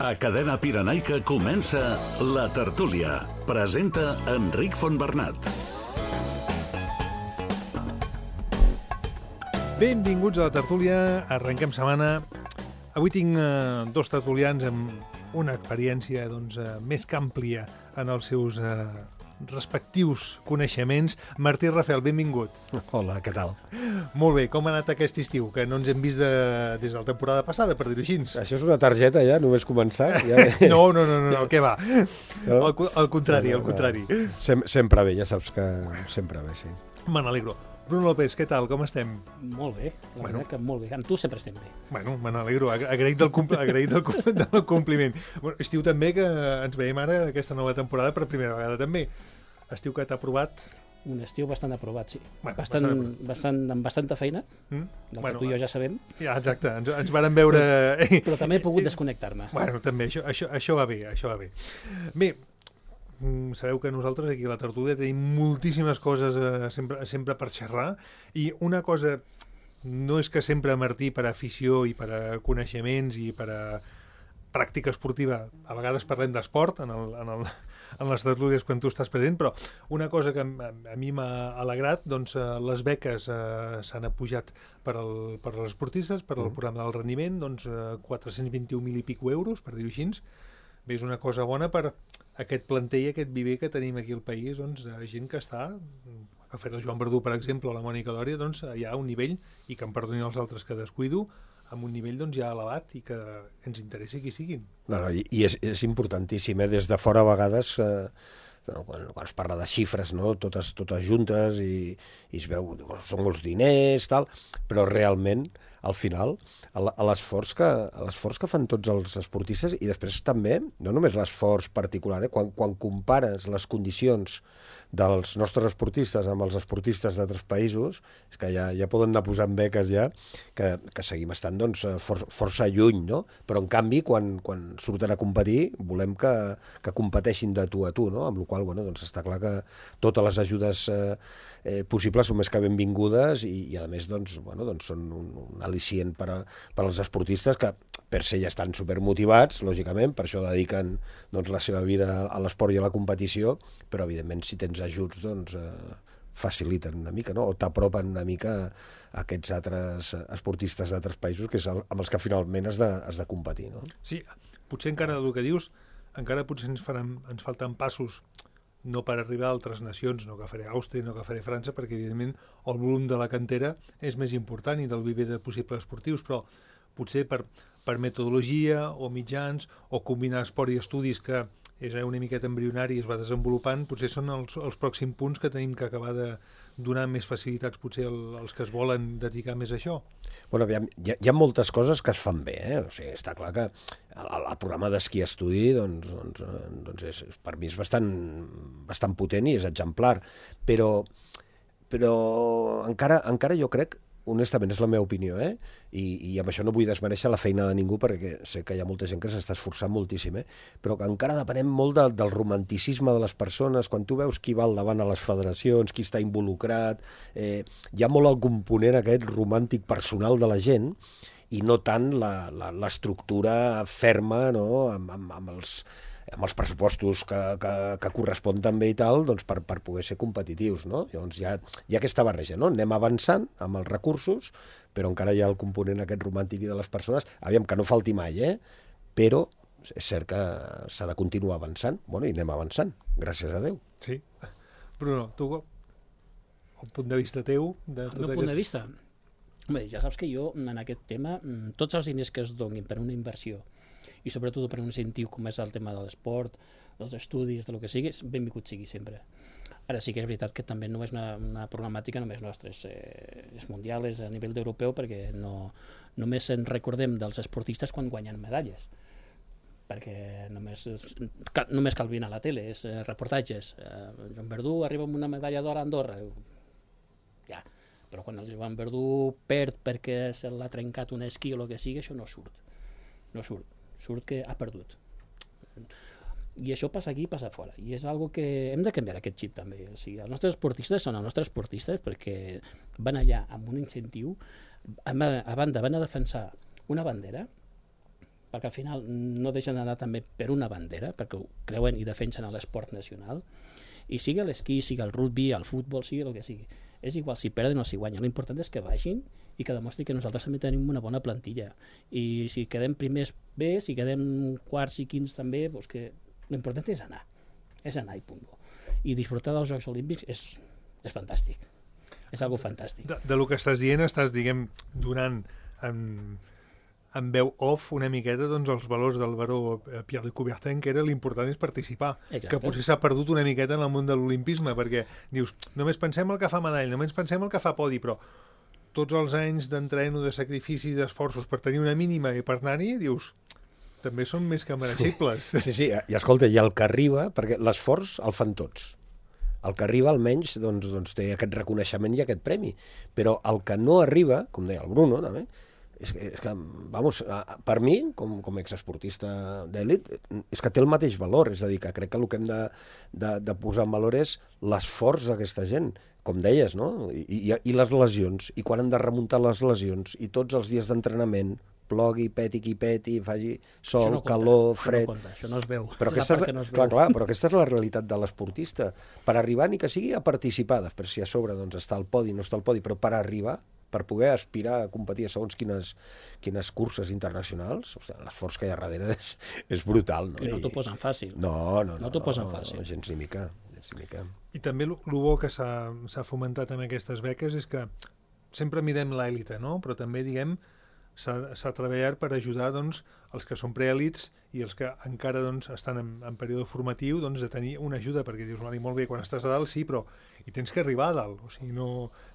A Cadena Pirenaica comença La Tertúlia. Presenta Enric Fontbernat. Benvinguts a La Tertúlia. Arrenquem setmana. Avui tinc dos tertulians amb una experiència més que àmplia en els seus respectius coneixements. Martí Rafel, benvingut. Hola, què tal? Molt bé, com ha anat aquest estiu? Que no ens hem vist des de la temporada passada, per dir-ho així. Això és una targeta ja, només començar? Ja... No, què va? No? Al contrari. Sempre bé, ja saps que sempre bé, sí. Me n'alegro. Bruno López, què tal? Com estem? Molt bé, la veritat que molt bé. Amb tu sempre estem bé. Bueno, me n'alegro. Agraït del compliment. Bueno, estiu també, que ens veiem ara aquesta nova temporada per primera vegada també. Estiu que t'ha aprovat... Un estiu bastant aprovat, sí. Bueno, amb bastanta feina, del que tu i jo ja sabem. Ja, exacte, ens varen veure... Però també he pogut desconnectar-me. Bueno, també, això va bé, Bé, sabeu que nosaltres aquí a la Tertúlia tenim moltíssimes coses sempre per xerrar, i una cosa, no és que sempre Martí, per afició i per a coneixements i per a pràctica esportiva, a vegades parlem d'esport en les tertúlies quan tu estàs present, però una cosa que a mi m'ha alegrat, les beques s'han apujat per als esportistes, per al programa del rendiment, 421.000 i pico euros, per dir-ho així. Bé, és una cosa bona per aquest plantell, aquest viver que tenim aquí al país, de gent que està, que ha fet el Joan Verdú, per exemple, o la Mònica Lòria, hi ha un nivell, i que em perdonin els altres que descuido, amb un nivell ja elevat i que ens interessi qui siguin. I és importantíssim, des de fora a vegades, quan es parla de xifres, no? Totes juntes, i es veu, són molts diners, tal, però realment, al final, l'esforç que fan tots els esportistes, i després també, no només l'esforç particular, quan compares les condicions dels nostres esportistes amb els esportistes d'altres països, és que ja poden anar posant beques ja, que seguim estant força lluny, no? Però en canvi, quan surten a competir, volem que competeixin de tu a tu, no? Amb la qual cosa està clar que totes les ajudes possibles són més que benvingudes, i a més són un al·licient per als esportistes que per ser ja estan supermotivats, lògicament, per això dediquen la seva vida a l'esport i a la competició, però evidentment si tens ajuts faciliten una mica, no? O t'apropen una mica a aquests altres esportistes d'altres països, que és amb els que finalment has de competir, no? Sí, potser encara del que dius, encara potser ens falten passos, no per arribar a altres nacions, no que faré Àustria, no que faré França, perquè evidentment el volum de la cantera és més important i del viver de possibles esportius, però potser per metodologia o mitjans o combinar esport i estudis, que és una miqueta embrionari i es va desenvolupant, potser són els pròxims punts que tenim que acabar de donar més facilitats potser als que es volen dedicar més a això. Bueno, hi ha moltes coses que es fan bé, O sigui, està clar que el programa d'esquí estudi per mi és bastant potent i és exemplar, però encara jo crec, honestament, és la meva opinió, i amb això no vull desmereixer la feina de ningú, perquè sé que hi ha molta gent que s'està esforçant moltíssim, però que encara depenem molt del romanticisme de les persones. Quan tu veus qui va al davant a les federacions, qui està involucrat, hi ha molt el component aquest romàntic personal de la gent, i no tant l'estructura ferma, no?, amb els pressupostos que correspon també i tal, per poder ser competitius, no? Llavors hi ha aquesta barreja, no? Anem avançant amb els recursos, però encara hi ha el component aquest romàntic i de les persones. Aviam, que no falti mai, però és cert que s'ha de continuar avançant. Bueno, i anem avançant, gràcies a Déu. Sí. Bruno, tu, el punt de vista teu... El meu punt de vista? Bé, ja saps que jo, en aquest tema, tots els diners que es donin per una inversió, i sobretot per un incentiu com és el tema de l'esport, dels estudis, del que sigui, benvingut sigui sempre. Ara sí que és veritat que també no és una problemàtica només nostra, és mundial, és a nivell europeu, perquè només ens recordem dels esportistes quan guanyen medalles, perquè només cal venir a la tele, és reportatges. Joan Verdú arriba amb una medalla d'or a Andorra, ja, però quan el Joan Verdú perd perquè se l'ha trencat un esquí o el que sigui, això no surt. Surt que ha perdut. I això passa aquí i passa fora. I és algo que hem de canviar, aquest xip també. O sigui, els nostres esportistes són els nostres esportistes perquè van allà amb un incentiu, a banda van a defensar una bandera, perquè al final no deixen d'anar també per una bandera, perquè ho creuen i defensen l'esport nacional, i sigui l'esquí, sigui el rugby, el futbol, sigui el que sigui. És igual si perden o si guanyen, l'important és que vagin i que demostri que nosaltres també tenim una bona plantilla. I si quedem primers bé, si quedem quarts i quints també, doncs que l'important és anar i punt. I disfrutar dels Jocs Olímpics és fantàstic. És algo fantàstic. De lo que estàs dient, estàs, diguem, donant en veu off una miqueta doncs, els valors del baró Pierre de Coubertin, que era l'important és participar. Exacte. Que potser s'ha perdut una miqueta en el món de l'olimpisme, perquè dius, només pensem el que fa medall, només pensem el que fa podi, però tots els anys d'entreno, de sacrifici, d'esforços per tenir una mínima i per anar-hi, dius, també són més que mereixibles. Sí, i escolta, i el que arriba, perquè l'esforç el fan tots. El que arriba almenys doncs, té aquest reconeixement i aquest premi. Però el que no arriba, com deia el Bruno, també, és que, vamos, per mi, com exesportista d'èlit, és que té el mateix valor. És a dir, que crec que el que hem de posar en valor és l'esforç d'aquesta gent, com deies, no? I les lesions, i quan han de remuntar les lesions, i tots els dies d'entrenament, plogui, peti qui peti, faci sol, calor, fred... Això no es veu. Però aquesta però aquesta és la realitat de l'esportista. Per arribar, ni que sigui a participar, després si a sobre doncs, està al podi, no està al podi, però per arribar, per poder aspirar a competir a segons quines curses internacionals, l'esforç que hi ha darrere és brutal. No? I no t'ho posen fàcil. No t'ho posen fàcil. Gens ni mica. I també el bo que s'ha fomentat amb aquestes beques és que sempre mirem l'èlite, no? Però també, diguem, s'ha treballat per ajudar doncs, els que són preèlits i els que encara doncs, estan en període formatiu doncs, a tenir una ajuda, perquè dius, molt bé, quan estàs a dalt sí, però hi tens que arribar a dalt. O sigui,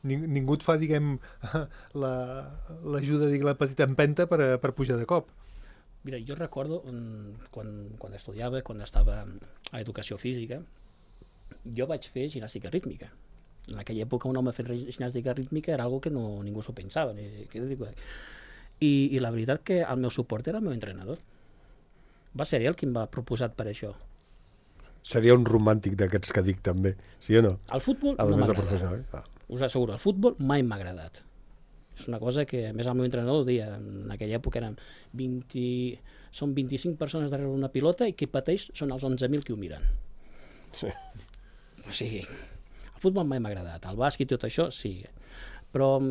ningú et fa, diguem, l'ajuda, la petita empenta per pujar de cop. Mira, jo recordo quan estudiava, quan estava a educació física, jo vaig fer gimnàstica rítmica. En aquella època un home fent gimnàstica rítmica era algo que ningú s'ho pensava. I la veritat que el meu suport era el meu entrenador. Va ser ell qui em va proposar per això. Seria un romàntic d'aquests que dic també, sí o no? El futbol no m'ha agradat. Us asseguro, el futbol mai m'ha agradat. És una cosa que, a més, el meu entrenador ho deia, en aquella època són 25 persones darrere una pilota i qui pateix són els 11.000 que ho miren. Sí. O sigui, el futbol mai m'ha agradat, el bàsquet i tot això, sí. Però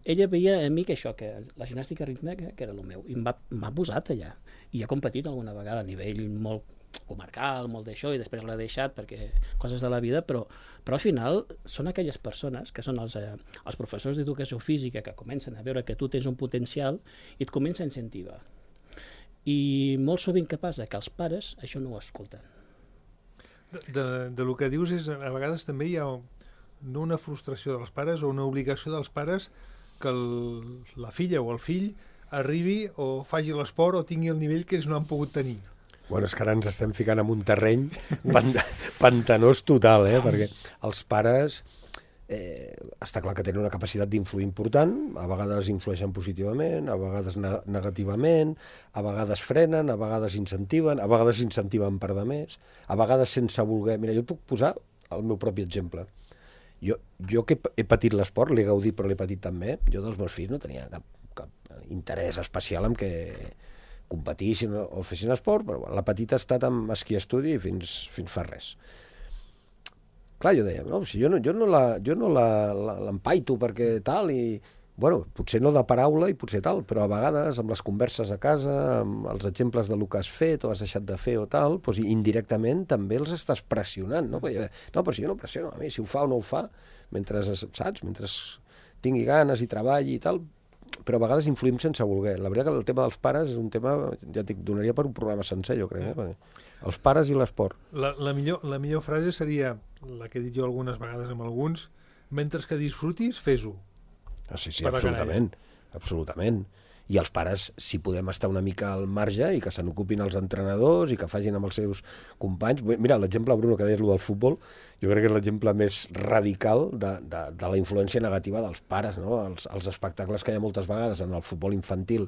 ella veia a mi que això, que la gimnàstica rítmica, que era el meu, i m'ha posat allà. I he competit alguna vegada a nivell molt comarcal, molt d'això, i després l'he deixat perquè coses de la vida, però al final són aquelles persones que són els professors d'educació física que comencen a veure que tu tens un potencial i et comencen a incentivar. I molt sovint què passa? Que els pares això no ho escolten. De lo que dius és, a vegades també hi ha no una frustració dels pares o una obligació dels pares que la filla o el fill arribi o faci l'esport o tingui el nivell que ells no han pogut tenir. Bueno, és que ara ens estem ficant en un terreny pantanós total, perquè els pares està clar que tenen una capacitat d'influir important, a vegades influeixen positivament, a vegades negativament, a vegades frenen, a vegades incentiven, a vegades incentiven per de més, a vegades sense voler... Mira, jo et puc posar el meu propi exemple. Jo que he patit l'esport, l'he gaudit però l'he patit també, jo dels meus fills no tenia cap interès especial en què competissin o fessin esport, però bueno, la petita ha estat amb esquí estudi fins fa res. Clar, jo deia, no, si jo no l'empaito perquè tal, i bueno, potser no de paraula i potser tal, però a vegades amb les converses a casa, amb els exemples del que has fet o has deixat de fer o tal, doncs indirectament també els estàs pressionant, no? Però si jo no pressiono, a mi, si ho fa o no ho fa, mentre tingui ganes i treballi i tal, però a vegades influïm sense voler. La veritat que el tema dels pares és un tema, ja et dic, donaria per un programa sencer, jo crec. Els pares i l'esport. La millor frase seria, la que he dit jo algunes vegades amb alguns, mentre que disfrutis, fes-ho. Sí, absolutament. I els pares, si podem estar una mica al marge i que se n'ocupin els entrenadors i que facin amb els seus companys. Mira, l'exemple, Bruno, que deies del futbol, jo crec que és l'exemple més radical de la influència negativa dels pares, no? Els espectacles que hi ha moltes vegades en el futbol infantil,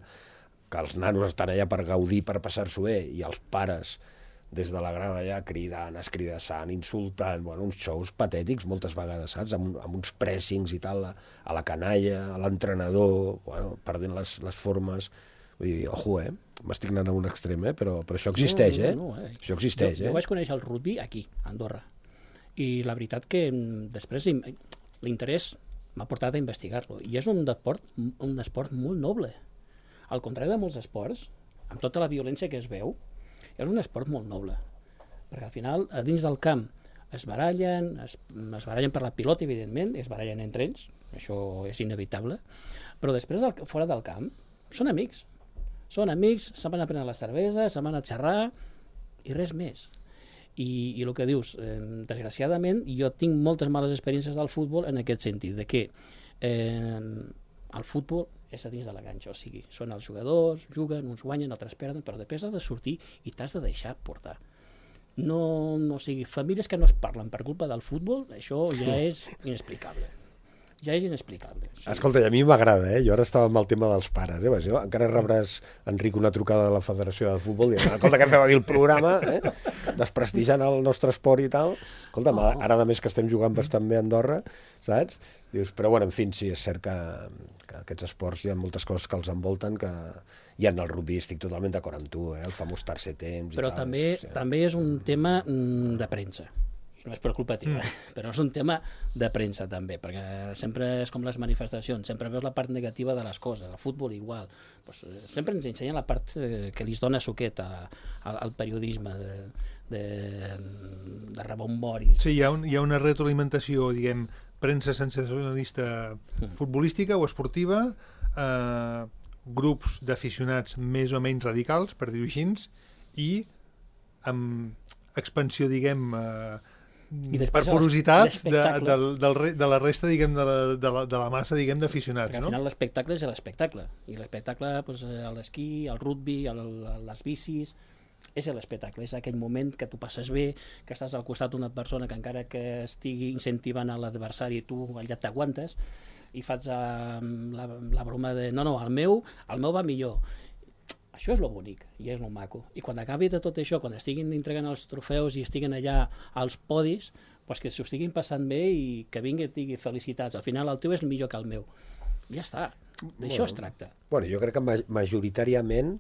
que els nanos estan allà per gaudir, per passar-s'ho bé, i els pares des de la grada allà cridant, escridassant, insultant, uns shows patètics moltes vegades, saps? Amb uns pressings i tal, a la canalla, a l'entrenador, perdent les formes. Vull dir, ojo, m'estic anant a un extrem, però això existeix, Això existeix, Jo vaig conèixer el rugby aquí, a Andorra, i la veritat que després l'interès m'ha portat a investigar-lo, i és un esport molt noble. Al contrari de molts esports, amb tota la violència que es veu, és un esport molt noble, perquè al final, a dins del camp, es barallen per la pilota, evidentment, es barallen entre ells, això és inevitable, però després, fora del camp, són amics, se'n van a prendre la cervesa, se'n van a xerrar, i res més. I el que dius, desgraciadament, jo tinc moltes males experiències del futbol en aquest sentit, de que el futbol és a dins de la canxa, o sigui, són els jugadors, juguen, uns guanyen, altres perden, però després has de sortir i t'has de deixar portar. No sigui, famílies que no es parlen per culpa del futbol, això ja és inexplicable. Ja és inexplicable. Sí. Escolta, a mi m'agrada, Jo ara estava amb el tema dels pares, Jo, encara rebràs, Enric, una trucada de la Federació de Futbol dient, escolta, què feu a dir el programa, desprestigiant el nostre esport i tal. Escolta, ara a més que estem jugant bastant bé a Andorra, saps? Dius, però bueno, en fi, sí, és cert que aquests esports hi ha moltes coses que els envolten, que hi ha en el rugby, estic totalment d'acord amb tu, el famós tercer temps però i tal. Però també és un tema de premsa. No és per culpa teva, però és un tema de premsa també, perquè sempre és com les manifestacions, sempre veus la part negativa de les coses, el futbol igual, pues, sempre ens ensenyen la part que li dona suquet al periodisme de rebomboris. Sí, hi ha una retroalimentació, diguem, premsa sensacionalista futbolística o esportiva, grups d'aficionats més o menys radicals, per dir-ho així, i amb expansió, diguem, per porositat de la resta, diguem, de la massa, diguem, d'aficionats. Perquè al final l'espectacle és l'espectacle, i l'espectacle, l'esquí, el rugby, les bicis, és l'espectacle, és aquell moment que tu passes bé, que estàs al costat d'una persona que encara que estigui incentivant a l'adversari, tu allà t'aguantes i fas la broma de no, el meu va millor. Això és lo bonic i és lo maco. I quan acabi de tot això, quan estiguin entregant els trofeus i estiguin allà als podis, doncs que s'ho estiguin passant bé i que vingui i digui felicitats. Al final el teu és millor que el meu. Ja està. D'això es tracta. Bueno, jo crec que majoritàriament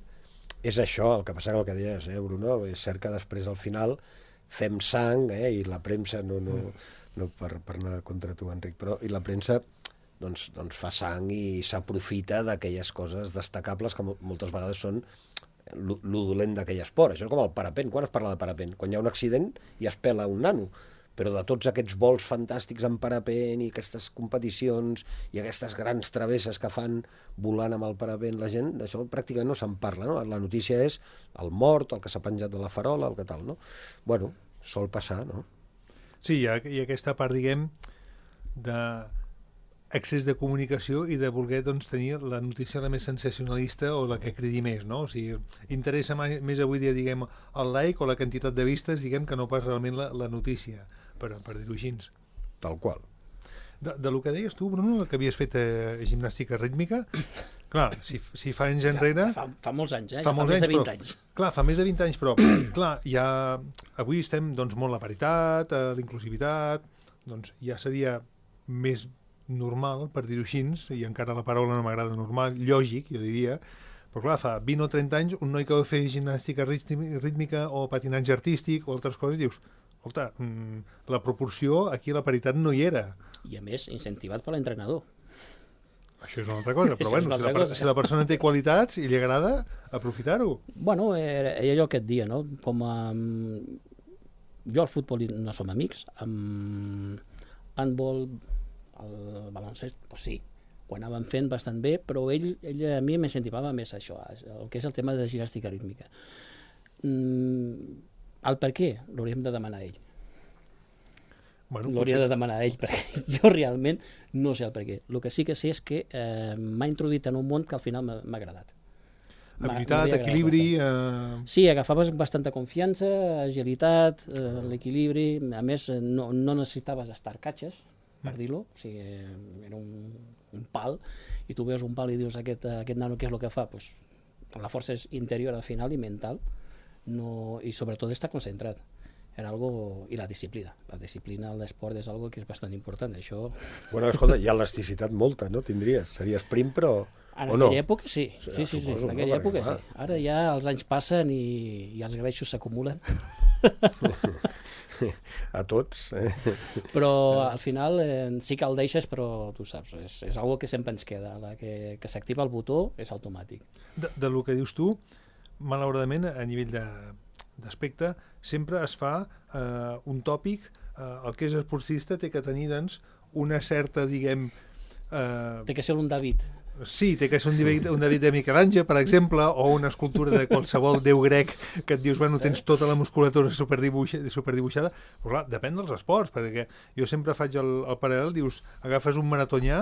és això, el que passa que el que deies, Bruno, és cert que després al final fem sang, i la premsa, no per anar contra tu, Enric, però i la premsa doncs fa sang i s'aprofita d'aquelles coses destacables que moltes vegades són lo dolent d'aquell esport. Això és com el parapent. Quan es parla de parapent? Quan hi ha un accident i es pela un nano. Però de tots aquests vols fantàstics en parapent i aquestes competicions i aquestes grans travesses que fan volant amb el parapent, la gent, d'això pràcticament no se'n parla, no? La notícia és el mort, el que s'ha penjat de la farola, el que tal, no? Bueno, sol passar, no? Sí, hi ha aquesta part, diguem, d'accés de comunicació i de voler, doncs, tenir la notícia la més sensacionalista o la que cridi més, no? O sigui, interessa més avui dia, diguem, el like o la quantitat de vistes, diguem, que no pas realment la notícia, per dir-ho així. Tal qual. De lo que deies tu, Bruno, que havies fet gimnàstica rítmica, clar, si fa anys enrere... Fa molts anys, fa més de 20 anys. Clar, fa més de 20 anys, però clar, avui estem, doncs, molt la paritat, l'inclusivitat, doncs ja seria més normal, per dir-ho així, i encara la paraula no m'agrada, normal, lògic, jo diria, però clar, fa 20 o 30 anys, un noi que va fer gimnàstica rítmica o patinatge artístic o altres coses, dius, escolta, la proporció aquí la paritat no hi era. I a més, incentivat per l'entrenador. Això és una altra cosa, però bueno, si la persona té qualitats i li agrada, aprofitar-ho. Bueno, era allò que et dia, no? Com jo al futbol no som amics, amb handball, el baloncest, doncs sí, ho anàvem fent bastant bé, però ell a mi m'incentivava més això, el que és el tema de gimnàstica rítmica. El per què l'hauríem de demanar a ell. L'hauria de demanar a ell, perquè jo realment no sé el per què. El que sí que sé és que m'ha introduït en un món que al final m'ha agradat. Habilitat, equilibri... Sí, agafaves bastanta confiança, agilitat, l'equilibri, a més no necessitaves estar catxes, per dir-ho, o sigui, era un pal, i tu veus un pal i dius aquest nano què és el que fa? Pues, la força és interior al final i mental, i sobretot està concentrat. era algo... I la disciplina. La disciplina a l'esport és algo que és bastant important. Això... Bueno, escolta, hi ha elasticitat molta, no? Tindries. Seria sprint, però... En o no? aquella època sí. Sí, Suposo, en aquella no? època Perquè, sí. Ara ja els anys passen i els greixos s'acumulen. A tots. Però al final sí que el deixes, però tu saps, és algo que sempre ens queda. La que s'activa el botó és automàtic. De lo que dius tu, malauradament, a nivell d'aspecte, sempre es fa un tòpic, el que és esportista té que tenir, doncs, una certa, diguem... Té que ser un David. Sí, té que ser un David de Miquel Àngel, per exemple, o una escultura de qualsevol déu grec que et dius, bueno, tens tota la musculatura superdibuixada, però clar, depèn dels esports, perquè jo sempre faig el paral·lel, dius, agafes un maratonià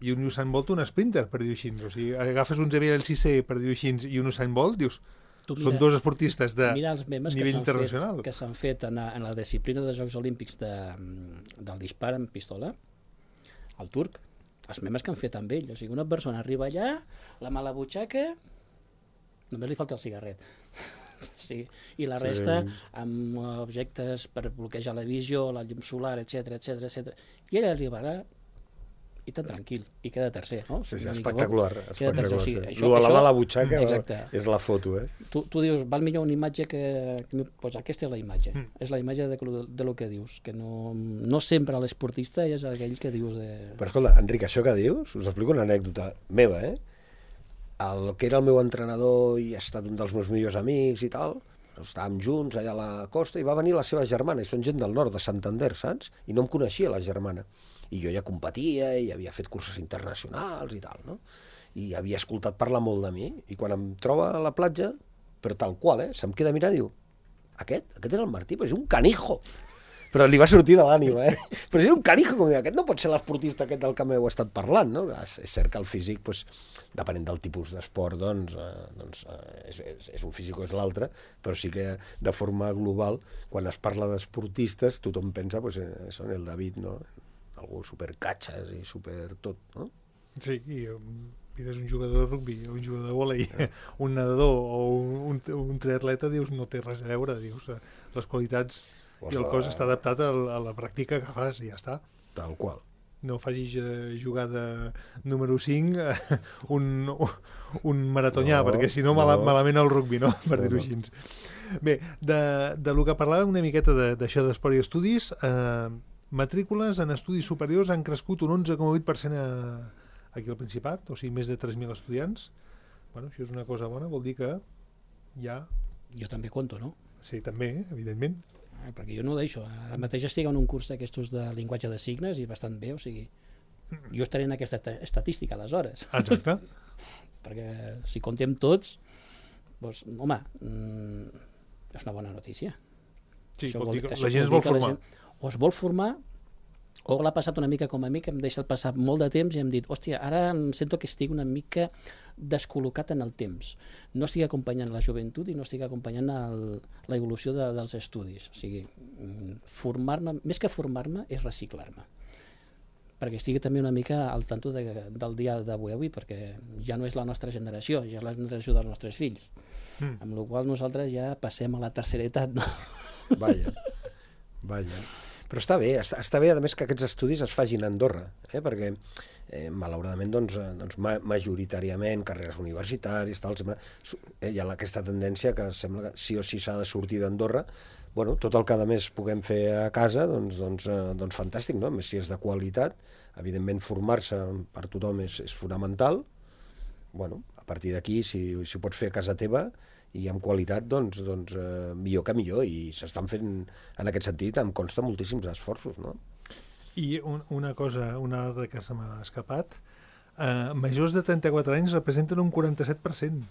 i un Usain Bolt un sprinter, per dir-ho així, o sigui, agafes un Xavier El Cissé, per dir-ho així, i un Usain Bolt, dius, són dos esportistes de nivell internacional. Que s'han fet en la disciplina dels Jocs Olímpics del dispar amb pistola, el turc, els memes que han fet amb ell. O sigui, una persona arriba allà, la mà a la butxaca, només li falta el cigarret. Sí. I la resta amb objectes per bloquejar la visió, la llum solar, etc. I ell arribarà i tan tranquil, i queda tercer, no? Sí, espectacular. Espectacular. Sí, la mà a la butxaca és la foto, eh? Tu dius, val millor una imatge que pues aquesta és la imatge. És la imatge de lo que dius, que no sempre l'esportista és aquell que dius de... Però escolta, Enric, això que dius, us explico una anècdota meva, eh? El que era el meu entrenador i ha estat un dels meus millors amics i tal, estàvem junts allà a la costa i va venir la seva germana, i són gent del nord, de Santander, saps? I no em coneixia la germana. I jo ja competia i havia fet curses internacionals i tal, no? I havia escoltat parlar molt de mi, i quan em troba a la platja, però tal qual, se'm queda a mirar i diu, aquest és el Martí, però és un canijo. Però li va sortir de l'ànima, Però és un canijo, com dir, aquest no pot ser l'esportista aquest del que m'heu estat parlant, no? És cert que el físic, doncs, depenent del tipus d'esport, és un físic o és l'altre, però sí que de forma global, quan es parla d'esportistes, tothom pensa, doncs, en el David, no? Algú supercatxes i super tot, no? Sí, i és un jugador de rugby, un jugador de vòlei, un nedador o un triatleta, dius, no té res a veure, dius, les qualitats i el cos està adaptat a la pràctica que fas i ja està. Tal qual. No facis jugar de número 5 un maratonià, perquè si no malament el rugby, no? Per dir-ho així. Bé, de lo que parlàvem una miqueta d'això d'esport i estudis, matrícules en estudis superiors han crescut un 11,8% aquí al Principat, o sigui, més de 3.000 estudiants. Bueno, això és una cosa bona, vol dir que ja... Jo també conto, no? Sí, també, evidentment. Perquè jo no ho deixo. Ara mateix estic en un curs d'aquestos de llenguatge de signes i bastant bé, o sigui, jo estaré en aquesta estadística aleshores. Exacte. Perquè si contem tots, doncs, home, és una bona notícia. Sí, vol dir que la gent es vol formar. O es vol formar, o l'ha passat una mica com a mi, que em deixat passar molt de temps i hem dit, hòstia, ara em sento que estic una mica descol·locat en el temps. No estic acompanyant la joventut i no estic acompanyant l'evolució dels estudis. O sigui, formar-me, més que formar-me, és reciclar-me. Perquè estigui també una mica al tanto del dia d'avui, perquè ja no és la nostra generació, ja és la generació dels nostres fills. Amb la qual nosaltres ja passem a la tercera edat, no? Vaja. Però està bé, a més que aquests estudis es facin a Andorra, perquè malauradament majoritàriament carreres universitàries, hi ha aquesta tendència que sembla que sí o sí s'ha de sortir d'Andorra. Bueno, tot el que a més puguem fer a casa, doncs fantàstic, no? A més, si és de qualitat, evidentment formar-se per tothom és fonamental. Bueno, a partir d'aquí, si ho pots fer a casa teva i amb qualitat, doncs millor que millor, i s'estan fent en aquest sentit, em consta moltíssims esforços, no? I una dada que se m'ha escapat, majors de 34 anys representen un 47%.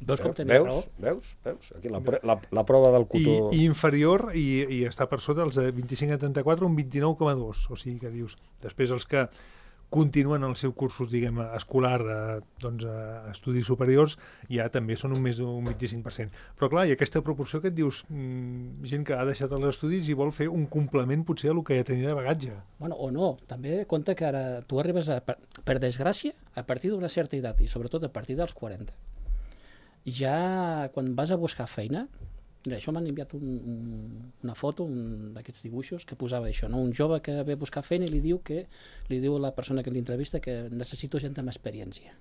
Veus? Aquí la prova del cotó... I inferior, i està per sota els de 25 a 34, un 29,2%. O sigui que dius, després els que continuen el seu cursos, diguem, escolar estudis superiors, ja també són més d'un 25%. Però clar, i aquesta proporció que et dius, gent que ha deixat els estudis i vol fer un complement potser a el que ja tenia de bagatge. Bueno, o no, també compte que ara tu arribes, per desgràcia, a partir d'una certa edat, i sobretot a partir dels 40. Ja quan vas a buscar feina, Mira, això m'han enviat una foto, un d'aquests dibuixos, que posava això, no? Un jove que ve a buscar feina i li diu a la persona que l'entrevista que necessito gent amb experiència.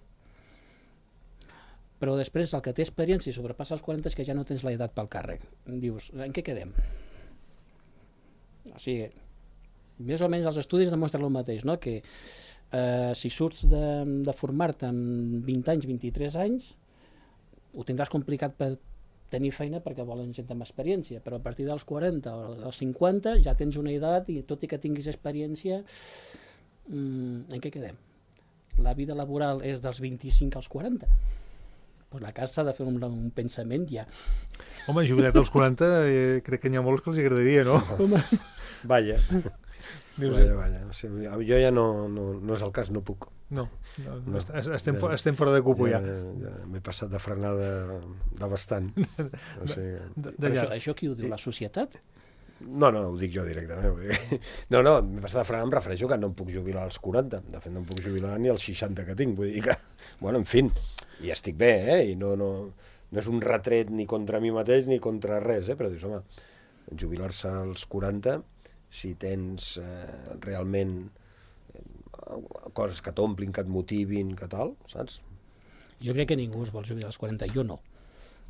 Però després el que té experiència i sobrepassa els 40 és que ja no tens l'edat pel càrrec. Dius, en què quedem? O sigui, més o menys els estudis demostren el mateix, no? Que si surts de formar-te amb 20 anys, 23 anys, ho tindràs complicat per tenir feina perquè volen gent amb experiència, però a partir dels 40 o dels 50 ja tens una edat i tot i que tinguis experiència, en què quedem? La vida laboral és dels 25 als 40. Pues la casa s'ha de fer un pensament ja. Home, jubilat als 40 crec que n'hi ha molts que els agradaria, no? Vaja. Vaja. O sigui, jo ja no és el cas, no puc. No. Estem fora de cupo ja. M'he passat de frenada de bastant. O sigui, Però això qui ho diu? La societat? No, ho dic jo directament. No, m'he passat de frenar, em refereixo que no em puc jubilar als 40. De fet, no em puc jubilar ni als 60 que tinc. Vull dir que, bueno, en fi, i estic bé, i no és un retret ni contra mi mateix ni contra res, però dius, home, jubilar-se als 40, si tens realment coses que t'omplin, que et motivin, que tal, saps? Jo crec que ningú es vol jubilar als 40, jo no.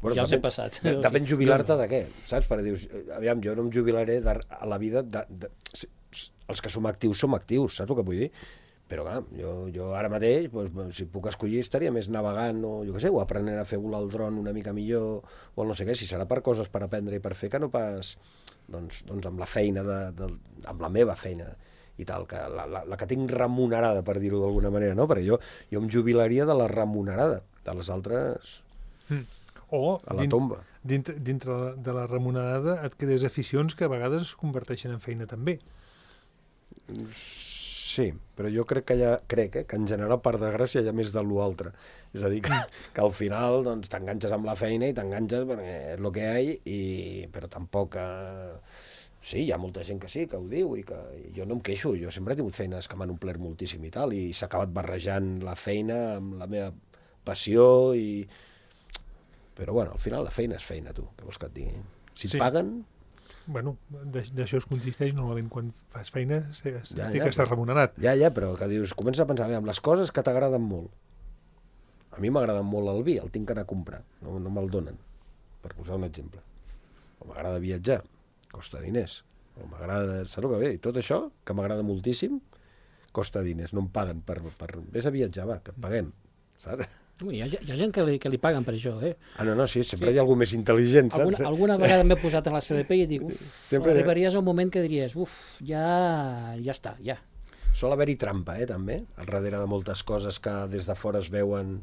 Bueno, ja els he passat. Depèn jubilar-te de què, saps? Perquè dius, aviam, jo no em jubilaré a la vida els que som actius, saps el que vull dir? Però clar, jo ara mateix, si puc escollir, estaria més navegant o jo què sé, o aprenent a fer volar el dron una mica millor, o no sé què, si serà per coses per aprendre i per fer, que no pas doncs amb la feina, amb la meva feina i tal, que la que tinc remunerada, per dir-ho d'alguna manera, no? Perquè jo em jubilaria de la remunerada, de les altres o a la tomba. Dintre de la remunerada et quedes aficions que a vegades es converteixen en feina també. Sí, però jo crec que en general, per desgràcia, hi ha més de l'altre. És a dir, que al final doncs, t'enganxes amb la feina i t'enganxes perquè és el que hi ha, però tampoc... Sí, hi ha molta gent que sí, que ho diu, i que jo no em queixo, jo sempre he tingut feines que m'han omplert moltíssim i tal, i s'ha acabat barrejant la feina amb la meva passió, però bueno, al final la feina és feina, tu, què vols que et digui? Si et paguen... Bueno, d'això es consisteix normalment quan fas feina, que estàs remunerat. Ja, però que dius, comença a pensar amb les coses que t'agraden molt. A mi m'agrada molt el vi, el tinc que anar a comprar, no me'l donen, per posar un exemple. O m'agrada viatjar, costa diners. O m'agrada, saps el que ve? I tot això, que m'agrada moltíssim, costa diners, no em paguen per... Vés a viatjar, va, que et paguem, saps? Hi ha gent que li paguen per això, no, sí, sempre hi ha algú més intel·ligent, saps? Alguna vegada m'he posat en la CDP i dic, arribaries a un moment que diries, ja està, ja. Sol haver-hi trampa, també, al darrere de moltes coses que des de fora es veuen,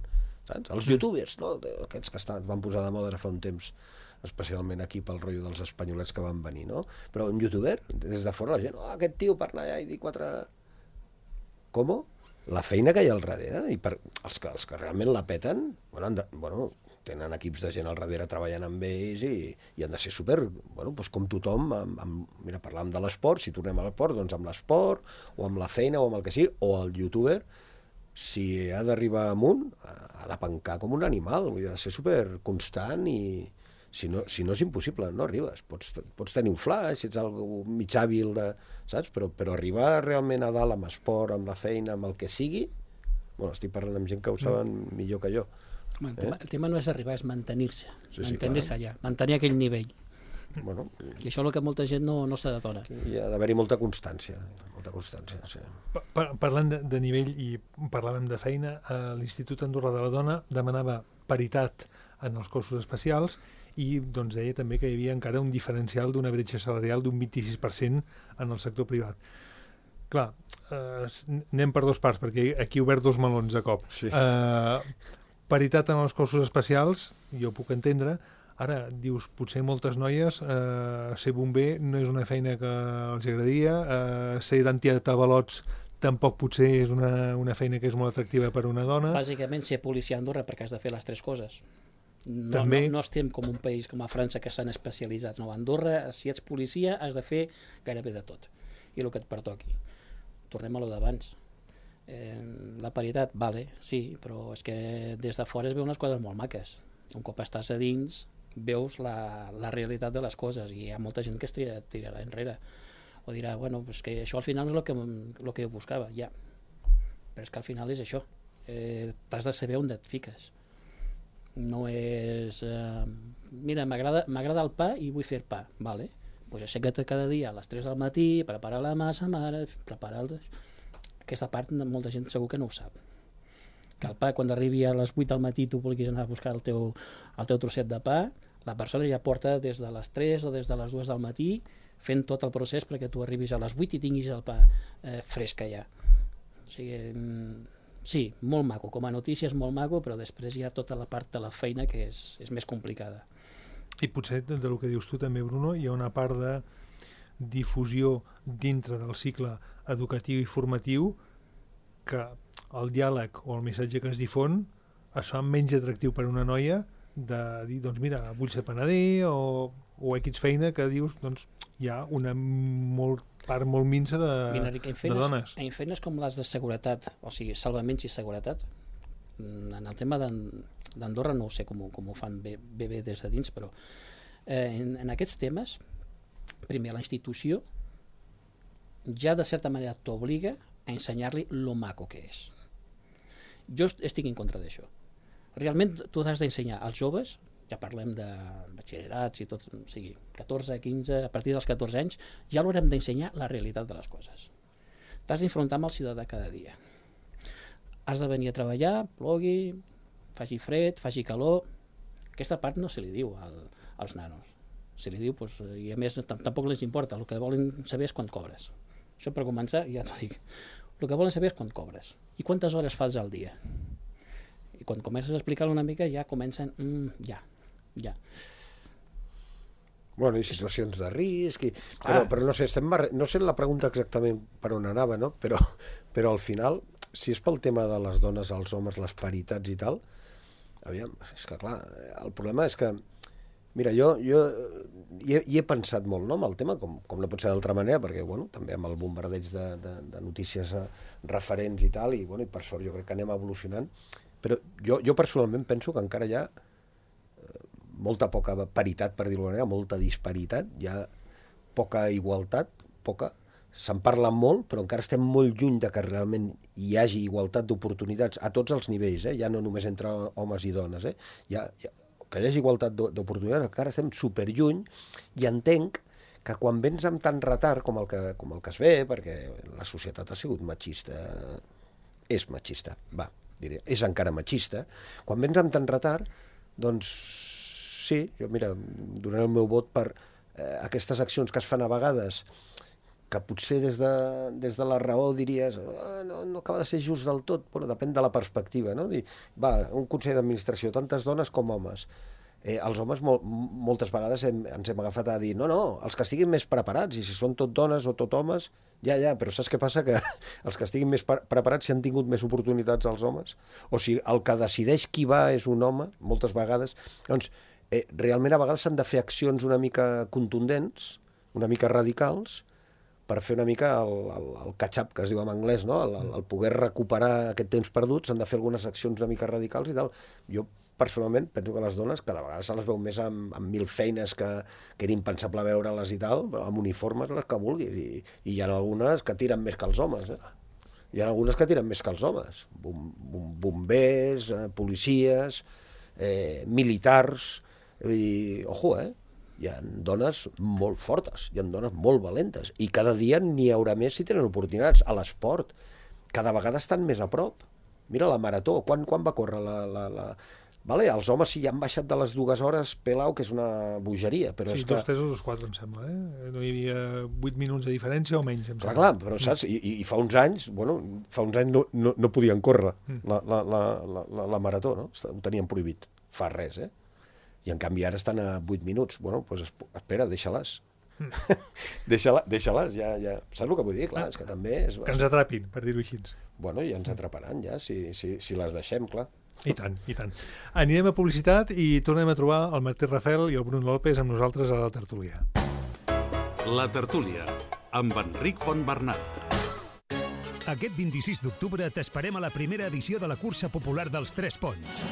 saps? Els youtubers, no? Aquests que van posar de moda ara fa un temps, especialment aquí pel rotllo dels espanyolets que van venir, no? Però un youtuber, des de fora la gent, aquest tio per anar allà i dir 4... Com? La feina que hi ha al darrere, i per els que realment la peten, tenen equips de gent al darrere treballant amb ells i han de ser super, doncs com tothom, mira, parlàvem de l'esport, si tornem a l'esport, doncs amb l'esport, o amb la feina, o amb el que sigui, o el youtuber, si ha d'arribar amunt, ha de pencar com un animal, vull dir, ha de ser super constant i si no és impossible, no arribes. Pots tenir un flash, si ets algú mig hàbil, saps? Però arribar realment a dalt amb esport, amb la feina, amb el que sigui, estic parlant amb gent que ho saben millor que jo. El tema no és arribar, és mantenir-se, mantenir-se allà, mantenir aquell nivell. I això és el que molta gent no s'adona. Hi ha d'haver-hi molta constància, sí. Parlant de nivell i parlàvem de feina, l'Institut Andorra de la Dona demanava paritat en els cossos especials i doncs deia també que hi havia encara un diferencial d'una bretxa salarial d'un 26% en el sector privat. Clar, anem per dos parts, perquè aquí he obert dos melons de cop. Sí. Paritat en els cossos especials, jo puc entendre. Ara, dius, potser moltes noies ser bomber no és una feina que els agradaria, ser d'antiavalots tampoc potser és una feina que és molt atractiva per a una dona. Bàsicament, ser policia a Andorra perquè has de fer les tres coses. No estem com un país com a França que s'han especialitzat. No, a Andorra, si ets policia, has de fer gairebé de tot. I el que et pertoqui. Tornem a lo d'abans. La paritat, vale, sí, però és que des de fora es veuen unes coses molt maques. Un cop estàs a dins, veus la realitat de les coses, i hi ha molta gent que es tirarà enrere o dirà, bueno, és que això al final no és el que jo buscava, ja, però és que al final és això, t'has de saber on et fiques, no és mira, m'agrada el pa i vull fer pa, vale, doncs aixeca't cada dia a les 3 del matí, preparar la massa mare, preparar aquesta part molta gent segur que no ho sap, que el pa quan arribi a les 8 del matí tu vulguis anar a buscar el teu trosset de pa, la persona ja porta des de les 3 o des de les 2 del matí fent tot el procés perquè tu arribis a les 8 i tinguis el pa fresc ja. O sigui, sí, molt maco, com a notícia és molt maco, però després hi ha tota la part de la feina que és més complicada. I potser, del que dius tu també, Bruno, hi ha una part de difusió dintre del cicle educatiu i formatiu que el diàleg o el missatge que es difon es fa menys atractiu per a una noia de dir, doncs mira, vull ser panader o X feina que dius, doncs hi ha una part molt minsa de dones. En feines com les de seguretat, o sigui, salvaments i seguretat, en el tema d'Andorra no ho sé com ho fan bé des de dins, però en aquests temes, primer, la institució ja de certa manera t'obliga a ensenyar-li lo maco que és. Jo estic en contra d'això. Realment tu has d'ensenyar als joves, ja parlem de batxillerats i tot, o sigui, 14, 15, a partir dels 14 anys, ja l'haurem d'ensenyar la realitat de les coses. T'has d'enfrontar amb el ciutadà cada dia. Has de venir a treballar, plogui, faci fred, faci calor. Aquesta part no se li diu als nanos. Se li diu, doncs, i a més tampoc les importa, el que volen saber és quan cobres. Això per començar, ja t'ho dic. El que volen saber és quan cobres i quantes hores fas al dia. I quan comences a explicar-lo una mica ja comencen, ja. Bueno, i situacions de risc, però no sé, no sé la pregunta exactament per on anava, no? Però al final, si és pel tema de les dones, els homes, les paritats i tal, aviam, és que clar, el problema és que mira, jo hi he pensat molt, no, amb el tema, com no pot ser d'altra manera, perquè, bueno, també amb el bombardeig de notícies referents i tal, i per sort jo crec que anem evolucionant, però jo personalment penso que encara hi ha molta poca paritat, per dir-ho d'alguna manera, molta disparitat, hi ha poca igualtat, se'n parla molt, però encara estem molt lluny de que realment hi hagi igualtat d'oportunitats a tots els nivells, ja no només entre homes i dones, que hi hagi igualtat d'oportunitats, encara estem superlluny, i entenc que quan vens amb tant retard com el que es ve, perquè la societat ha sigut machista, és machista, és encara machista, quan vens amb tant retard, doncs sí, jo mira, donaré el meu vot per aquestes accions que es fan a vegades, que potser des de la raó diries no acaba de ser just del tot, però depèn de la perspectiva, no? Dir, un consell d'administració, tantes dones com homes. Els homes moltes vegades ens hem agafat a dir no, els que estiguin més preparats, i si són tot dones o tot homes, però saps què passa? Que els que estiguin més preparats si han tingut més oportunitats als homes, o si el que decideix qui va és un home, moltes vegades, doncs realment a vegades s'han de fer accions una mica contundents, una mica radicals, per fer una mica el catch-up, que es diu en anglès, no? El poder recuperar aquest temps perdut, s'han de fer algunes accions una mica radicals i tal. Jo, personalment, penso que les dones cada vegada se les veu més amb 1000 feines que era impensable veure-les i tal, amb uniformes, les que vulguis, i hi ha algunes que tiren més que els homes, Hi ha algunes que tiren més que els homes. Bombers, policies, militars, ojo, hi ha dones molt fortes, hi ha dones molt valentes, i cada dia n'hi haurà més si tenen oportunitats. A l'esport, cada vegada estan més a prop. Mira la marató, quan va córrer els homes sí, ja han baixat de les 2 hores, pelau, que és una bogeria. Però sí, és que... 2, 3 o 2, 4, em sembla. No hi havia 8 minuts de diferència o menys, em sembla. Clar, però saps? I fa uns anys, no podien córrer la marató, no? Ho tenien prohibit. Fa res, I en canvi ara estan a 8 minuts. Doncs espera, deixa-les. Deixa-les, ja. Saps el que vull dir? Clar, és que també... Que ens atrapin, per dir-ho així. Ja ens atraparan, ja, si les deixem, clar. I tant. Anirem a publicitat i tornem a trobar el Martí Rafel i el Bruno López amb nosaltres a la tertúlia. La tertúlia, amb Enric Fontbernat. Aquest 26 d'octubre t'esperem a la primera edició de la cursa popular dels 3 Ponts.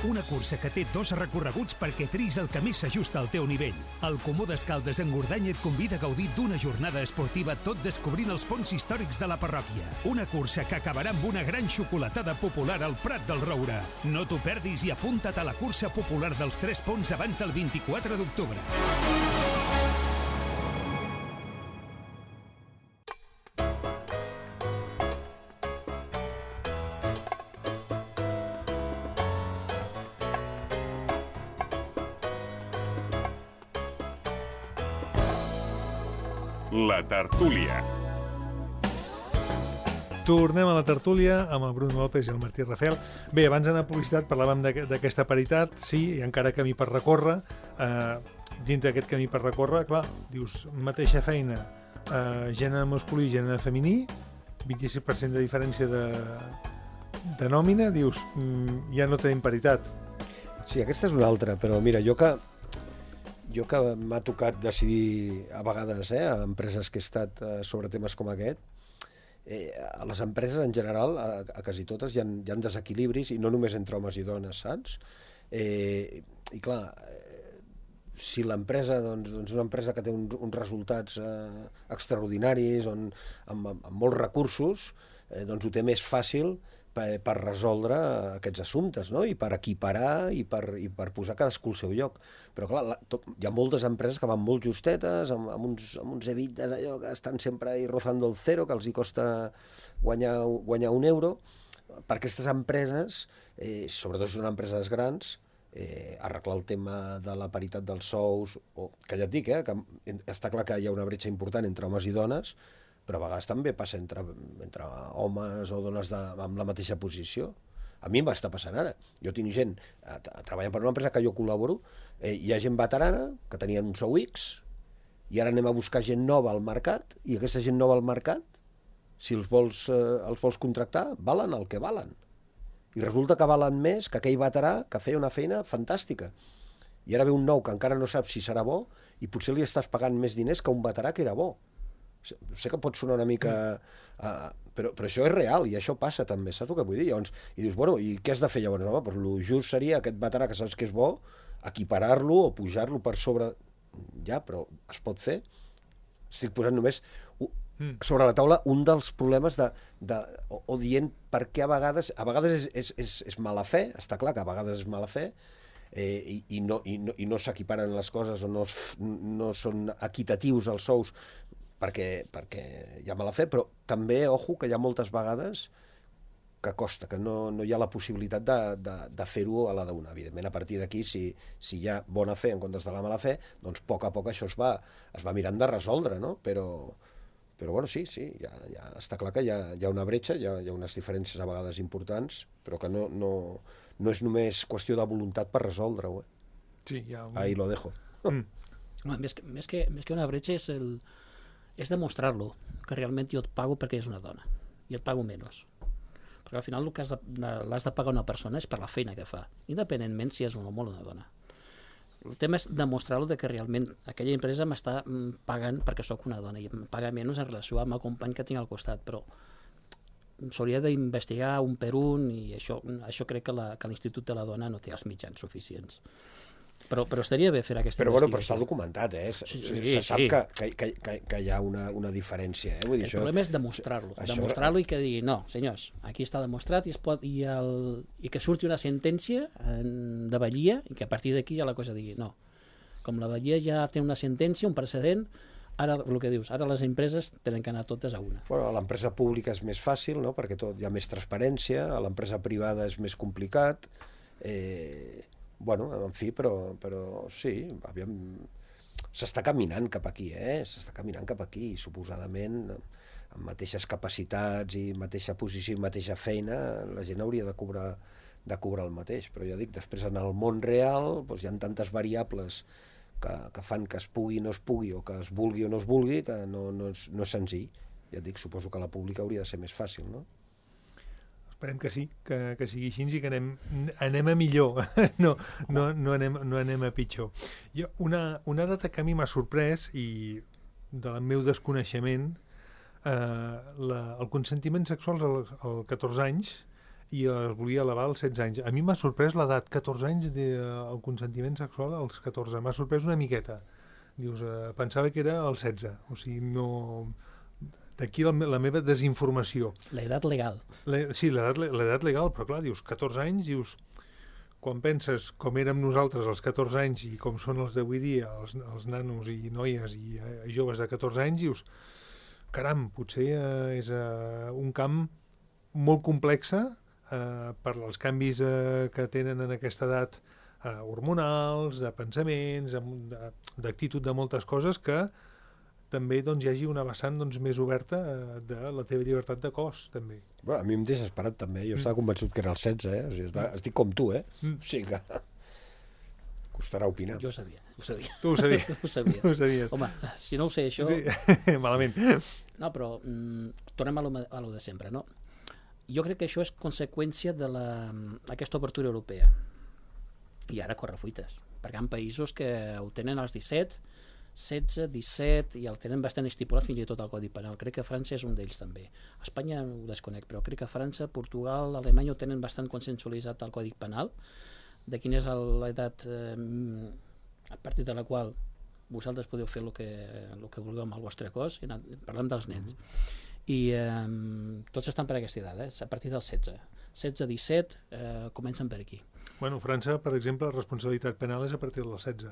Una cursa que té 2 recorreguts perquè tris el que més s'ajusta al teu nivell. El Comú d'Escaldes en Gordany et convida a gaudir d'una jornada esportiva tot descobrint els ponts històrics de la parròquia. Una cursa que acabarà amb una gran xocolatada popular al Prat del Roure. No t'ho perdis i apunta't a la cursa popular dels 3 ponts abans del 24 d'octubre. La tertúlia. Tornem a la tertúlia amb el Bruno López i el Martí Rafel. Bé, abans d'anar a publicitat parlàvem d'aquesta paritat, sí, i encara camí per recórrer. Dintre d'aquest camí per recórrer, clar, dius, mateixa feina, gènere masculí i gènere femení, 26% de diferència de nòmina, dius, ja no tenim paritat. Sí, aquesta és una altra, però mira, jo que m'ha tocat decidir a vegades, a empreses que he estat sobre temes com aquest, a les empreses en general, a quasi totes, hi ha desequilibris, i no només entre homes i dones, saps? I clar, si l'empresa, doncs una empresa que té uns resultats extraordinaris, amb molts recursos, doncs ho té més fàcil per resoldre aquests assumptes, no? I per equiparar i per posar cadascú al seu lloc. Però clar, hi ha moltes empreses que van molt justetes, amb uns EBITDAs allò que estan sempre ahí rozando el zero, que els hi costa guanyar €1. Per aquestes empreses, sobretot si són empreses grans, arreglar el tema de la paritat dels sous, que ja et dic, que està clar que hi ha una bretxa important entre homes i dones, però a vegades també passa entre homes o dones amb la mateixa posició. A mi m'està passant ara. Jo tinc gent treballant per una empresa que jo col·laboro, hi ha gent veterana que tenien un sou X, i ara anem a buscar gent nova al mercat, i aquesta gent nova al mercat, si els vols contractar, valen el que valen. I resulta que valen més que aquell veterà que feia una feina fantàstica. I ara ve un nou que encara no sap si serà bo, i potser li estàs pagant més diners que un veterà que era bo. Sé que pot sonar una mica... però això és real, i això passa també, saps el que vull dir? Llavors, i dius, bueno, i què has de fer llavors? Home, doncs el just seria aquest veterà que saps que és bo, equiparar-lo o pujar-lo per sobre... Ja, però es pot fer. Estic posant només sobre la taula un dels problemes o dient per què a vegades és mala fe, està clar que a vegades és mala fe, i no s'equiparen les coses o no són equitatius els sous perquè hi ha mala fe, però també, ojo, que hi ha moltes vegades que costa, que no hi ha la possibilitat de fer-ho a la d'una. Evidentment, a partir d'aquí, si hi ha bona fe en comptes de la mala fe, doncs a poc això es va mirant de resoldre, no? Però bueno, sí, ja està clar que hi ha una bretxa, hi ha unes diferències a vegades importants, però que no és només qüestió de voluntat per resoldre-ho. Sí, ja... Ahí lo dejo. Més que una bretxa és demostrar-lo, que realment jo et pago perquè és una dona, i et pago menys. Perquè al final el que l'has de pagar una persona és per la feina que fa, independentment si és un home o una dona. El tema és demostrar-lo que realment aquella empresa m'està pagant perquè sóc una dona i em paga menys en relació amb el company que tinc al costat, però s'hauria d'investigar un per un, i això crec que l'Institut de la Dona no té els mitjans suficients. Però estaria bé fer aquesta investigació. Però està documentat, se sap que hi ha una diferència. Vull dir, el problema és demostrar-lo i que digui, no, senyors, aquí està demostrat i que surti una sentència de Badia i que a partir d'aquí ja la cosa digui, no, com la Badia ja té una sentència, un precedent, ara el que dius, ara les empreses tenen que anar totes a una. Bueno, a l'empresa pública és més fàcil, no? Perquè hi ha més transparència, a l'empresa privada és més complicat, bueno, en fi, però sí, aviam, s'està caminant cap aquí, s'està caminant cap aquí, i suposadament amb mateixes capacitats i mateixa posició i mateixa feina, la gent hauria de cobrar el mateix, però ja dic, després en el món real doncs hi ha tantes variables que fan que es pugui o no es pugui, o que es vulgui o no es vulgui, que no és senzill. Ja dic, suposo que la pública hauria de ser més fàcil, no? Esperem que sí, que sigui així i que anem a millor, no anem a pitjor. Una data que a mi m'ha sorprès, i del meu desconeixement, el consentiment sexual als 14 anys i els volia elevar als 16 anys. A mi m'ha sorprès l'edat, 14 anys, el consentiment sexual als 14. M'ha sorprès una miqueta. Dius, pensava que era als 16. O sigui, no... D'aquí la meva desinformació. L'edat legal. Sí, l'edat legal, però clar, dius, 14 anys, dius... Quan penses com érem nosaltres als 14 anys i com són els d'avui dia, els nanos i noies i joves de 14 anys, dius, caram, potser és un camp molt complexa per als canvis que tenen en aquesta edat hormonals, de pensaments, d'actitud de moltes coses, que també doncs, hi hagi una vessant més oberta de la teva llibertat de cos, també. Bueno, a mi em deixa esperat, també. Jo estava convençut que era el 16, O sigui, estic com tu, O sigui que costarà opinar. Jo ho sabia. Tu ho sabies? Ho sabia. Ho sabies. Home, si no ho sé, això... Sí. Malament. No, però tornem a lo de sempre, no? Jo crec que això és conseqüència d'aquesta obertura europea. I ara corre fuites, perquè hi ha països que ho tenen als 17, 16, 17, i el tenen bastant estipulat fins i tot al Codi Penal. Crec que França és un d'ells també. A Espanya ho desconec, però crec que França, Portugal, Alemanya ho tenen bastant consensualitzat al Codi Penal, de quina és l'edat a partir de la qual vosaltres podeu fer el que vulgueu amb el vostre cos. Parlem dels nens. I tots estan per aquesta edat, a partir dels 16. 16, 17, comencen per aquí. Bueno, a França, per exemple, la responsabilitat penal és a partir dels 16.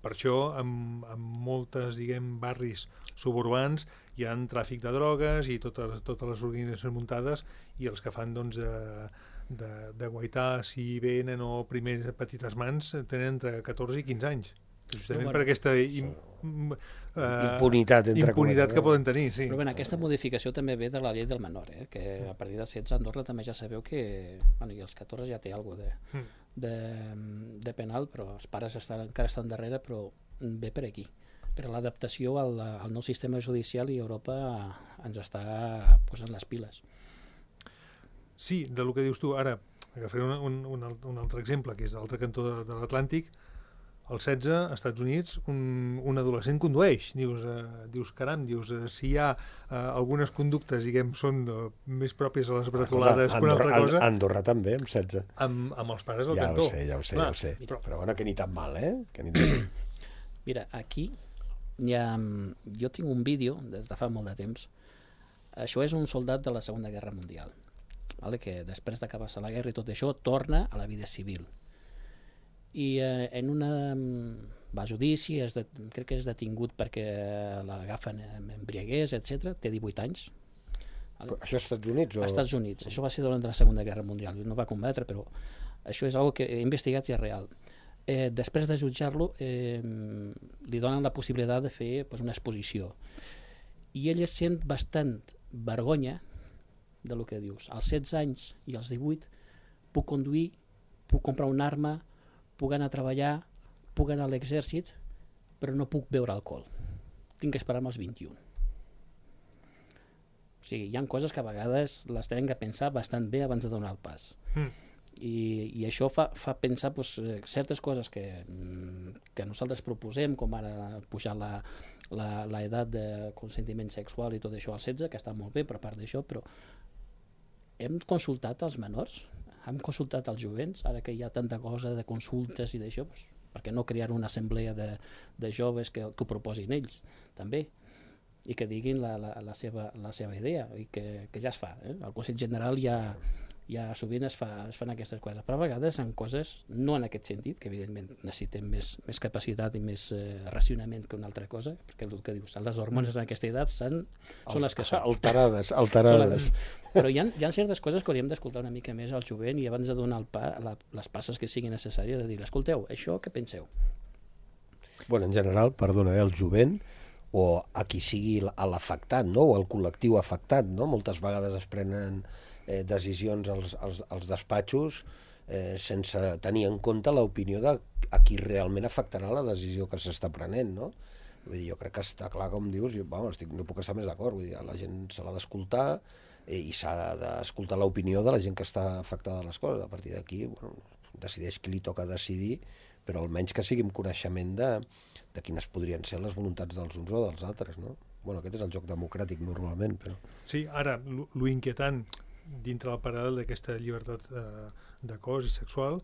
Per això, en moltes, barris suburbans hi ha tràfic de drogues i totes les organitzacions muntades, i els que fan, de guaitar si venen o primeres petites mans tenen entre 14 i 15 anys. Justament per aquesta impunitat que poden tenir, sí. Però aquesta modificació també ve de la llei del menor, que a partir dels 16 a Andorra també ja sabeu que... i els 14 ja té alguna de penal, però els pares encara estan darrere, però ve per aquí. Per l'adaptació al nou sistema judicial, i Europa ens està posant les piles. Sí, del que dius tu. Ara, agafaré un altre exemple, que és l'altre cantó de l'Atlàntic. Als 16, als Estats Units, un adolescent condueix. Dius, caram, si hi ha algunes conductes, són més pròpies a les bretolades que una altra cosa... Andorra també, amb 16. Amb els pares al cantó. Ja ho sé. Però bueno, que ni tan mal, Mira, aquí jo tinc un vídeo des de fa molt de temps. Això és un soldat de la Segona Guerra Mundial, que després d'acabar-se la guerra i tot això torna a la vida civil. I en va a judici, crec que és detingut perquè l'agafen amb embriaguers, etc. Té 18 anys. Però això als Estats Units? Als Estats Units. Això va ser durant la Segona Guerra Mundial. No va combatre, però això és una que he investigat i és real. Després de jutjar-lo, li donen la possibilitat de fer una exposició. I ell es sent bastant vergonya del que dius. Als 16 anys i als 18 puc conduir, puc comprar una arma, puc anar a treballar, puc anar a l'exèrcit, però no puc beure alcohol. Tinc que esperar als 21. O sigui, hi ha coses que a vegades les tenen que pensar bastant bé abans de donar el pas. I això fa pensar certes coses que nosaltres proposem, com ara pujar l'edat de consentiment sexual i tot això als 16, que està molt bé per part d'això, però hem consultat els menors? Hem consultat els jovents, ara que hi ha tanta cosa de consultes i d'això, per què no crear una assemblea de joves que ho proposin ells, també, i que diguin la seva idea, i que ja es fa. Al Consell General ja sovint es fan aquestes coses, però a vegades en coses, no en aquest sentit, que evidentment necessitem més capacitat i més racionament que una altra cosa, perquè el que dius, les hormones en aquesta edat són les que són. Alterades. Però hi ha certes coses que hauríem d'escoltar una mica més al jovent, i abans de donar les passes que siguin necessàries, de dir, escolteu, això què penseu? Bueno, en general, perdona, el jovent, o a qui sigui l'afectat, no? O el col·lectiu afectat, no? Moltes vegades es prenen decisions als despatxos sense tenir en compte l'opinió de a qui realment afectarà la decisió que s'està prenent, no? Vull dir, jo crec que està clar, com dius, no puc estar més d'acord, vull dir, la gent se l'ha d'escoltar i s'ha d'escoltar l'opinió de la gent que està afectada de les coses. A partir d'aquí, decideix qui li toca decidir, però almenys que sigui amb coneixement de quines podrien ser les voluntats dels uns o dels altres, no? Bueno, aquest és el joc democràtic normalment, però... Sí, ara, lo inquietant dintre del paral·lel d'aquesta llibertat de cos i sexual,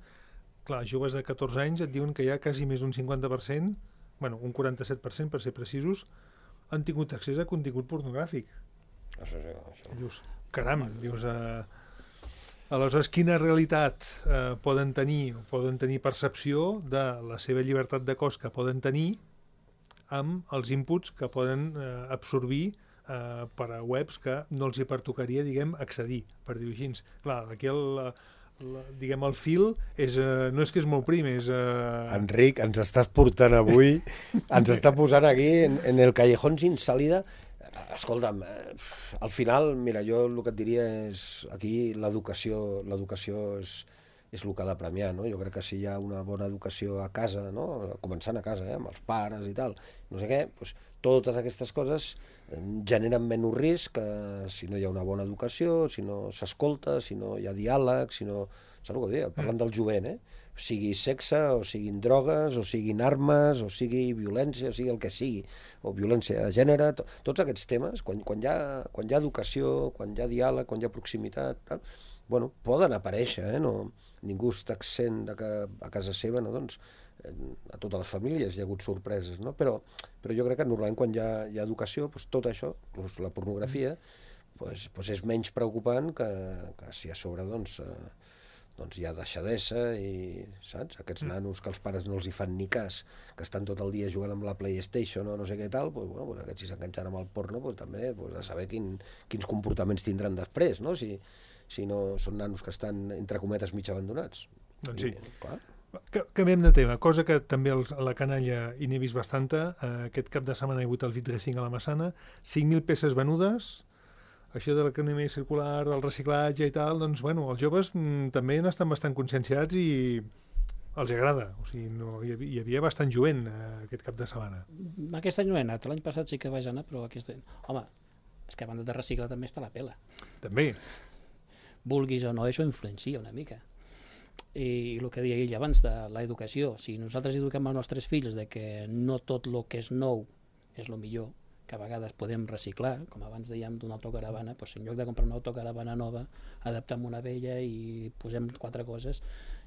clar, joves de 14 anys et diuen que hi ha quasi més d'un 50%, bueno, un 47% per ser precisos, han tingut accés a contingut pornogràfic. Això. Dius, caram, dius... Aleshores, quina realitat poden tenir percepció de la seva llibertat de cos que poden tenir amb els inputs que poden absorbir per a webs que no els hi pertocaria, diguem, accedir, per dir-ho així. Clar, aquí diguem, el fil no és que és molt prim, és... Enric, ens estàs portant avui, ens està posant aquí en el callejón sin salida. Escolta'm, al final, mira, jo el que et diria és aquí l'educació és el que ha de premiar, no? Jo crec que si hi ha una bona educació a casa, no? Començant a casa, amb els pares i tal, no sé què, doncs totes aquestes coses generen menys risc que si no hi ha una bona educació, si no s'escolta, si no hi ha diàleg, si no... Saps el que dic? Parlant del jovent, sigui sexe, o siguin drogues, o siguin armes, o sigui violència, o sigui el que sigui, o violència de gènere, tots aquests temes, quan hi ha educació, quan hi ha diàleg, quan hi ha proximitat, tal, bueno, poden aparèixer, no? Ningú està exempt de que a casa seva, no? Doncs, a totes les famílies hi ha hagut sorpreses, no? Però jo crec que normalment quan hi ha educació, doncs tot això, la pornografia, doncs és menys preocupant que si a sobre doncs hi ha deixadesa i, saps? Aquests nanos que els pares no els hi fan ni cas, que estan tot el dia jugant amb la PlayStation o no sé què tal, doncs, bueno, aquests si s'enganxen amb el porno, doncs, també a saber quins comportaments tindran després, no? Si no són nanos que estan, entre cometes, mig abandonats. Doncs sí. Clar. Canviem de tema, cosa que també a la canalla hi n'he vist bastanta. Aquest cap de setmana hi ha hagut el V-Dressing a la Massana, 5.000 peces venudes. Això de l'economia circular, del reciclatge i tal, doncs, bueno, els joves també n'estan bastant conscienciats i els agrada. O sigui, hi havia bastant jovent aquest cap de setmana. Aquest any no he anat, l'any passat sí que vaig anar, però aquest any... Home, és que a banda de reciclar també està la pela. També. Vulguis o no, això influencia una mica. I el que deia ell abans de l'educació, si nosaltres eduquem els nostres fills de que no tot el que és nou és el millor, que a vegades podem reciclar, com abans dèiem d'una autocaravana, doncs en lloc de comprar una autocaravana nova, adaptem una vella i posem 4 coses,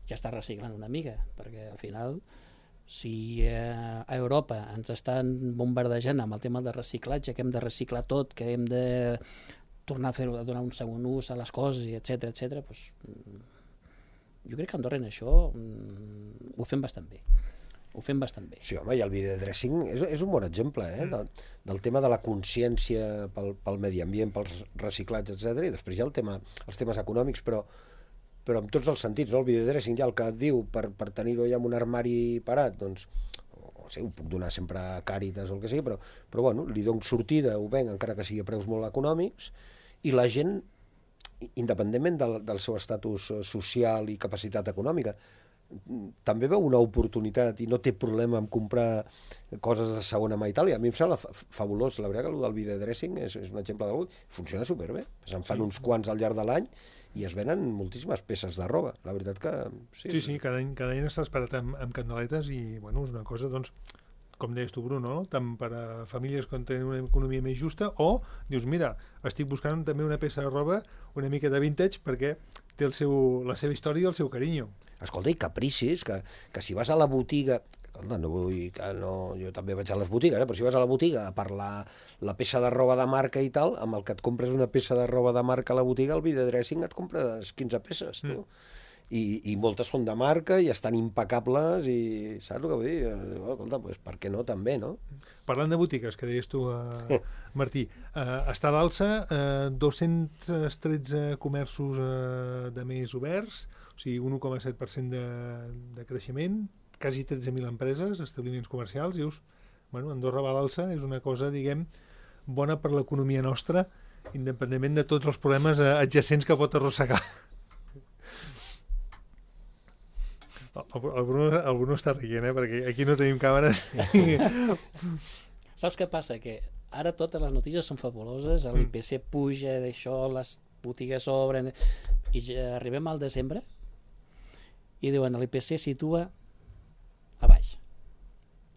ja està reciclant una mica, perquè al final, si a Europa ens estan bombardejant amb el tema de reciclatge, que hem de reciclar tot, que hem de tornar a donar un segon ús a les coses, etc, doncs jo crec que a Andorra en això ho fem bastant bé. Sí, home, i el videodressing és un bon exemple, del tema de la consciència pel medi ambient, pels reciclats, etc. I després hi ha els temes econòmics, però en tots els sentits, no? El videodressing ja el que et diu per tenir-ho ja en un armari parat, doncs, ho puc donar sempre a Càritas o el que sigui, però bueno, li dono sortida, ho venc, encara que sigui a preus molt econòmics, i la gent, independentment del seu estatus social i capacitat econòmica, també veu una oportunitat i no té problema en comprar coses de segona mà i tal, i a mi em sembla fabulós. La veritat que el del videodressing és un exemple d'algú, funciona superbé, se'n fan uns quants al llarg de l'any i es venen moltíssimes peces de roba, la veritat que... Sí, cada any està esperat amb candeletes i, bueno, és una cosa, doncs, com deies tu, Bruno, tant per a famílies que tenen una economia més justa, o dius, mira, estic buscant també una peça de roba una mica de vintage perquè té la seva història i el seu carinyo. Escolta, i capricis, que si vas a la botiga... Escolta, no vull que no... Jo també vaig a les botigues, però si vas a la botiga per la peça de roba de marca i tal, amb el que et compres una peça de roba de marca a la botiga, el videodressing et compres 15 peces, tu. I moltes són de marca i estan impecables i saps el que vull dir? Escolta, doncs per què no també, no? Parlant de botigues, que deies tu, Martí, està a l'alça, 213 comerços de més oberts, o sigui, un 1,7% de creixement, quasi 13.000 empreses, establiments comercials, dius, bueno, Andorra va a l'alça, és una cosa, diguem, bona per l'economia nostra, independentment de tots els problemes adjacents que pot arrossegar. El Bruno està rient, perquè aquí no tenim càmera. Saps què passa? Que ara totes les notícies són fabuloses, l'IPC puja d'això, les botigues obren, i ja arribem al desembre i diuen l'IPC situa a baix,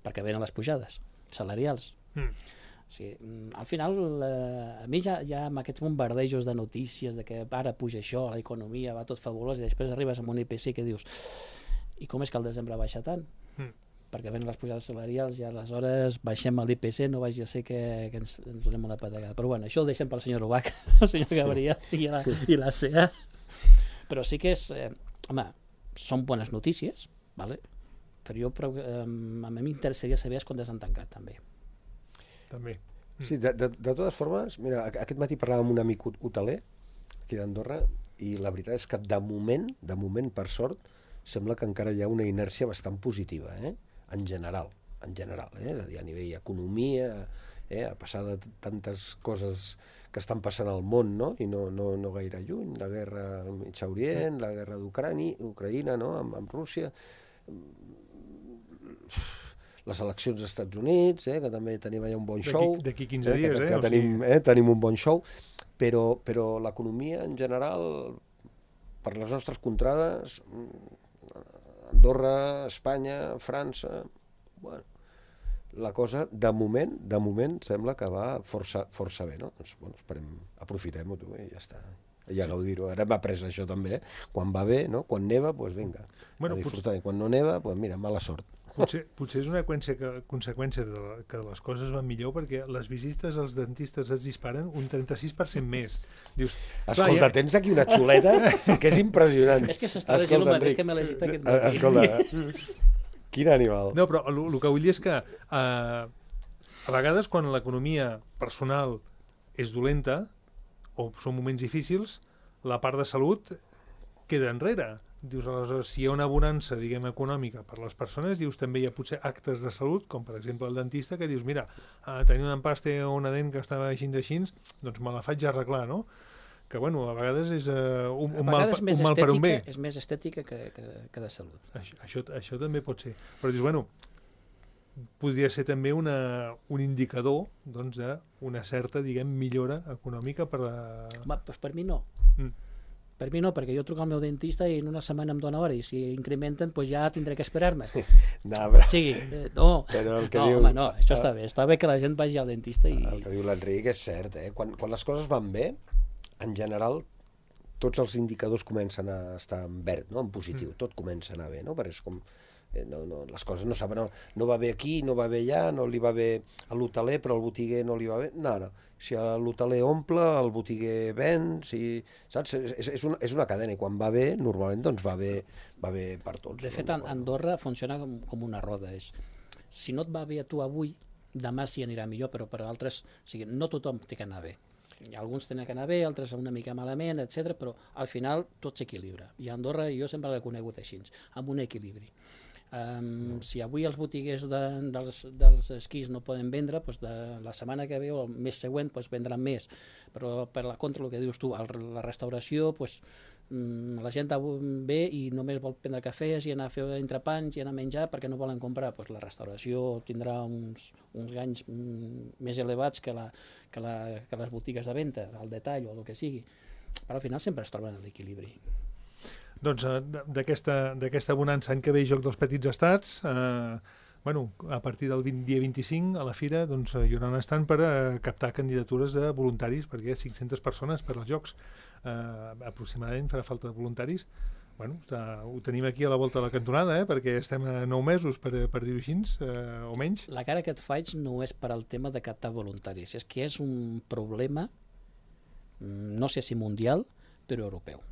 perquè venen les pujades salarials. Sí, al final, a mi ja amb aquests bombardejos de notícies de que ara puja això, l'economia va tot fabulós, i després arribes amb un IPC que dius i com és que el desembre baixa tant? Perquè venen les pujades salarials i aleshores baixem a l'IPC, no vagi a ser que ens donem una patagada. Però bueno, això ho deixem pel senyor Ubach, el senyor Gabriel i la CEA. Però sí que és... home, són bones notícies, vale? Però a mi m'interessaria saber quan han tancat, també. També. Sí, de totes formes, mira, aquest matí parlàvem amb un amic hoteler aquí d'Andorra i la veritat és que de moment, per sort, sembla que encara hi ha una inèrcia bastant positiva, en general, és a dir, a nivell economia, a passar de tantes coses que estan passant al món, no? I no gaire lluny, la guerra al Mig Orient, la guerra d'Ucraïna, no? Amb Rússia, les eleccions als Estats Units, que també tenim allà un bon show. D'aquí 15 dies, que tenim un bon show, però l'economia en general, per les nostres contrades, Andorra, Espanya, França, bueno, la cosa, de moment, sembla que va força bé, no? Doncs, bueno, aprofitem-ho, tu, i ja està. I a gaudir-ho. Ara hem après això també, quan va bé, no? Quan neva, doncs vinga, a disfrutar. I quan no neva, doncs mira, mala sort. Potser és una conseqüència que les coses van millor, perquè les visites als dentistes es disparen un 36% més. Dius, escolta, tens aquí una xuleta que és impressionant. És que s'està llegint el mateix que m'he llegit aquest matí. Escolta, quin animal. No, però el que vull dir és que a vegades quan l'economia personal és dolenta o són moments difícils, la part de salut queda enrere. Dius, aleshores, si hi ha una bonança, diguem, econòmica per les persones, dius, també hi ha potser actes de salut, com per exemple el dentista, que dius, mira, tenir un empaste o una dent que estava així, doncs me la faig arreglar, no? Que, bueno, a vegades és un mal per un bé. És més estètica que de salut. Això també pot ser. Però dius, bueno, podria ser també un indicador, doncs, d'una certa, diguem, millora econòmica per a... Home, doncs per mi no. Per mi no, perquè jo truco al meu dentista i en una setmana em dona hora, i si incrementen, doncs ja tindré que esperar-me. No, home, això està bé que la gent vagi al dentista. El que diu l'Enric és cert, quan les coses van bé, en general, tots els indicadors comencen a estar en verd, no? En positiu, tot comença a anar bé, no? Perquè és com... les coses no saben, no va bé aquí, no va bé allà, no li va bé a l'hoteler, però al botiguer no li va bé. No. Si l'hoteler omple, el botiguer ven, saps? És una cadena, i quan va bé, normalment doncs va bé per tots. De fet, Andorra funciona com una roda. Si no et va bé a tu avui, demà sí anirà millor, però per altres, o sigui, no tothom té que anar bé. Alguns tenen que anar bé, altres una mica malament, etc. Però al final tot s'equilibra. I a Andorra jo sempre l'he conegut així, amb un equilibri. Si avui els botiguers dels esquís no poden vendre, doncs la setmana que ve o el mes següent vendran més, però per la contra, el que dius tu, la restauració, la gent ve i només vol prendre cafès i anar a fer entrepans i anar a menjar perquè no volen comprar. La restauració tindrà uns ganys més elevats que les botigues de venda, al detall o el que sigui, però al final sempre es troben a l'equilibri. Doncs d'aquesta bonança any que ve Joc dels Petits Estats, a partir del dia 25 a la fira hi haurà un estand per captar candidatures de voluntaris, perquè hi ha 500 persones per als Jocs, aproximadament farà falta de voluntaris. Ho tenim aquí a la volta de la cantonada, perquè estem a 9 mesos, per dir-ho així, o menys. La cara que et faig no és per al tema de captar voluntaris, és que és un problema, no sé si mundial, però europeu.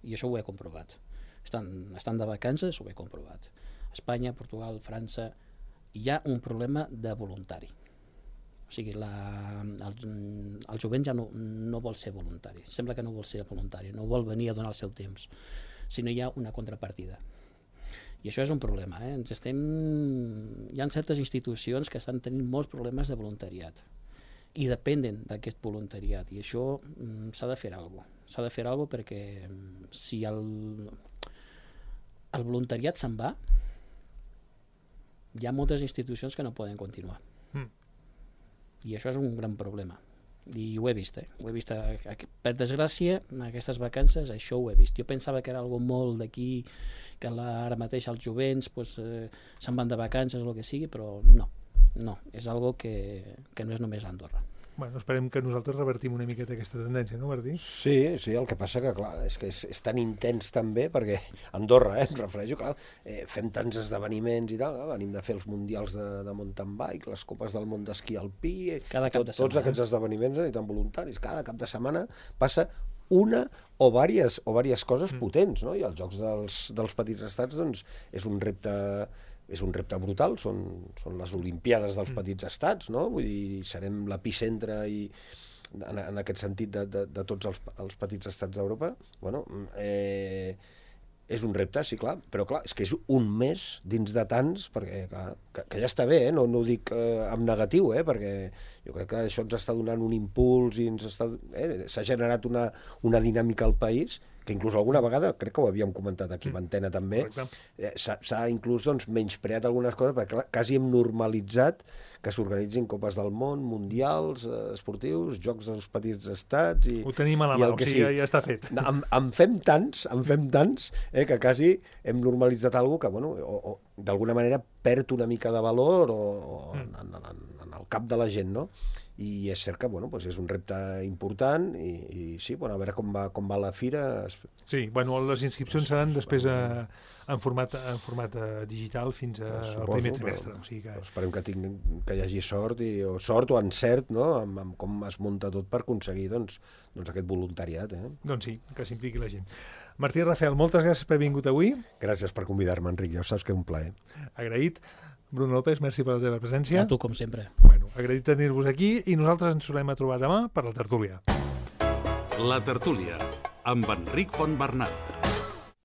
I això ho he comprovat. Estan de vacances, ho he comprovat. Espanya, Portugal, França, hi ha un problema de voluntari. O sigui, el jovent ja no vol ser voluntari. Sembla que no vol ser voluntari, no vol venir a donar el seu temps, sinó hi ha una contrapartida. I això és un problema. Hi ha certes institucions que estan tenint molts problemes de voluntariat i depenen d'aquest voluntariat, i això s'ha de fer alguna cosa. S'ha de fer alguna cosa perquè si el voluntariat se'n va, hi ha moltes institucions que no poden continuar. I això és un gran problema. I ho he vist, Ho he vist, per desgràcia, en aquestes vacances, això ho he vist. Jo pensava que era algo molt d'aquí, que ara mateix els jovents se'n van de vacances o el que sigui, però no. No, és algo que no és només Andorra. Bueno, esperem que nosaltres revertim una miqueta aquesta tendència, no, Martí? Sí, el que passa que, clar, és que és tan intens també, perquè Andorra, em refereixo, clar, fem tants esdeveniments i tal, venim de fer els mundials de mountain bike, les copes del món d'esquí alpí, Cada cap de setmana. Tots aquests esdeveniments ni tan voluntaris, cada cap de setmana passa una o diverses coses potents, no? I els Jocs dels Petits Estats, doncs, és un repte brutal, són les Olimpiades dels Petits Estats, no? Vull dir, serem l'epicentre i en aquest sentit de tots els petits estats d'Europa. Bueno, és un repte, sí, clar, però clar, és que és un mes dins de tants, perquè clar, que ja està bé, no ho dic en negatiu, perquè jo crec que això ens està donant un impuls i s'ha generat una dinàmica al país que inclús alguna vegada, crec que ho havíem comentat aquí a Antena també, s'ha inclús menyspreat algunes coses, perquè clar, quasi hem normalitzat que s'organitzin Copes del Món, mundials, esportius, Jocs dels Petits Estats... Ho tenim a la mà, o sigui, ja està fet. En fem tants, que quasi hem normalitzat alguna cosa que, bueno, o d'alguna manera perd una mica de valor en el cap de la gent, no? I és cert que bueno, doncs és un repte important i sí, bueno, a veure com va la fira. Sí, bueno, les inscripcions seran després en format digital fins al primer trimestre. O sigui que... Esperem que hi hagi sort o encert, no? amb com es munta tot per aconseguir doncs aquest voluntariat. Doncs sí, que s'impliqui la gent. Martí Rafel, moltes gràcies per haver vingut avui. Gràcies per convidar-me, Enric, ja ho saps que és un plaer. Agraït. Bruno López, merci per la teva presència. A tu, com sempre. Bueno, agraït tenir-vos aquí i nosaltres ens tornem a trobar demà per la tertúlia. La tertúlia, amb Enric Fontbernat.